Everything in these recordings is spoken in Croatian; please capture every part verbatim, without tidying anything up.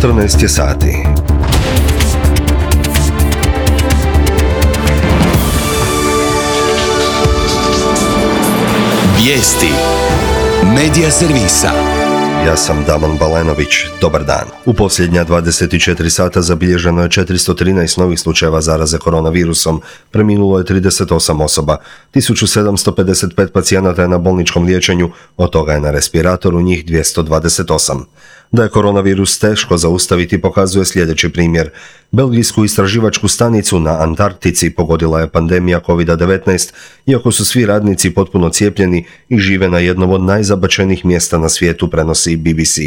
četrnaest je sati. Vijesti Medija servisa. Ja sam Damon Balenović, dobar dan. U posljednja dvadeset četiri sata zabilježeno je četiristo trinaest novih slučajeva zaraze koronavirusom, preminulo je trideset osam osoba, tisuću sedamsto pedeset pet pacijenata je na bolničkom liječenju, od toga je na respiratoru njih dvjesto dvadeset osam. Da je koronavirus teško zaustaviti pokazuje sljedeći primjer. Belgijsku istraživačku stanicu na Antarktici pogodila je pandemija kovid devetnaest, iako su svi radnici potpuno cijepljeni i žive na jednom od najzabačenijih mjesta na svijetu, prenosi B B C.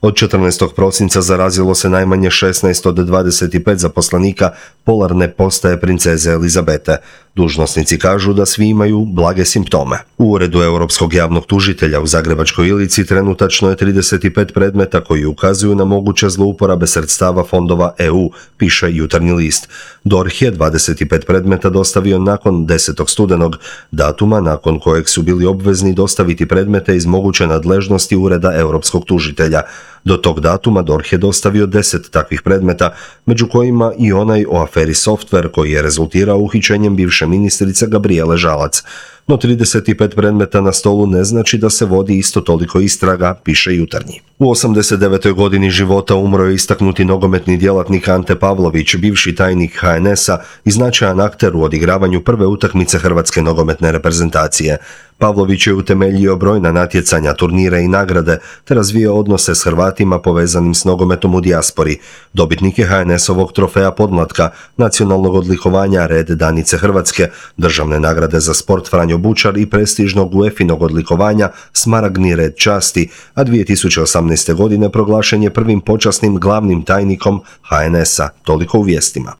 Od četrnaestog prosinca zarazilo se najmanje šesnaest od dvadeset pet zaposlenika polarne postaje princeze Elizabete. Dužnosnici kažu da svi imaju blage simptome. U Uredu Europskog javnog tužitelja u Zagrebačkoj Ilici trenutačno je trideset pet predmeta koji ukazuju na moguće zlouporabe sredstava fondova E U, piše Jutarnji list. D O R H je dvadeset pet predmeta dostavio nakon desetog studenog, datuma nakon kojeg su bili obvezni dostaviti predmete iz moguće nadležnosti Ureda Europskog tužitelja. Do tog datuma D O R H je dostavio deset takvih predmeta, među kojima i onaj o aferi Software koji je rezultirao uhićenjem bivše ministrice Gabrijele Žalac. No trideset pet predmeta na stolu ne znači da se vodi isto toliko istraga, piše Jutarnji. U osamdeset devetoj godini života umro je istaknuti nogometni djelatnik Ante Pavlović, bivši tajnik H N S-a i značajan akter u odigravanju prve utakmice hrvatske nogometne reprezentacije. Pavlović je utemeljio brojna natjecanja, turnire i nagrade, te razvio odnose s Hrvatima povezanim s nogometom u dijaspori. Dobitnik je H N S-ovog trofeja podmlatka, nacionalnog odlikovanja Red Danice Hrvatske, državne nagrade za sport Franjo Bučar i prestižnog U E F I-nog odlikovanja Smaragdni red časti, a dvije tisuće osamnaeste. godine proglašen je prvim počasnim glavnim tajnikom H N S-a. Toliko u vijestima.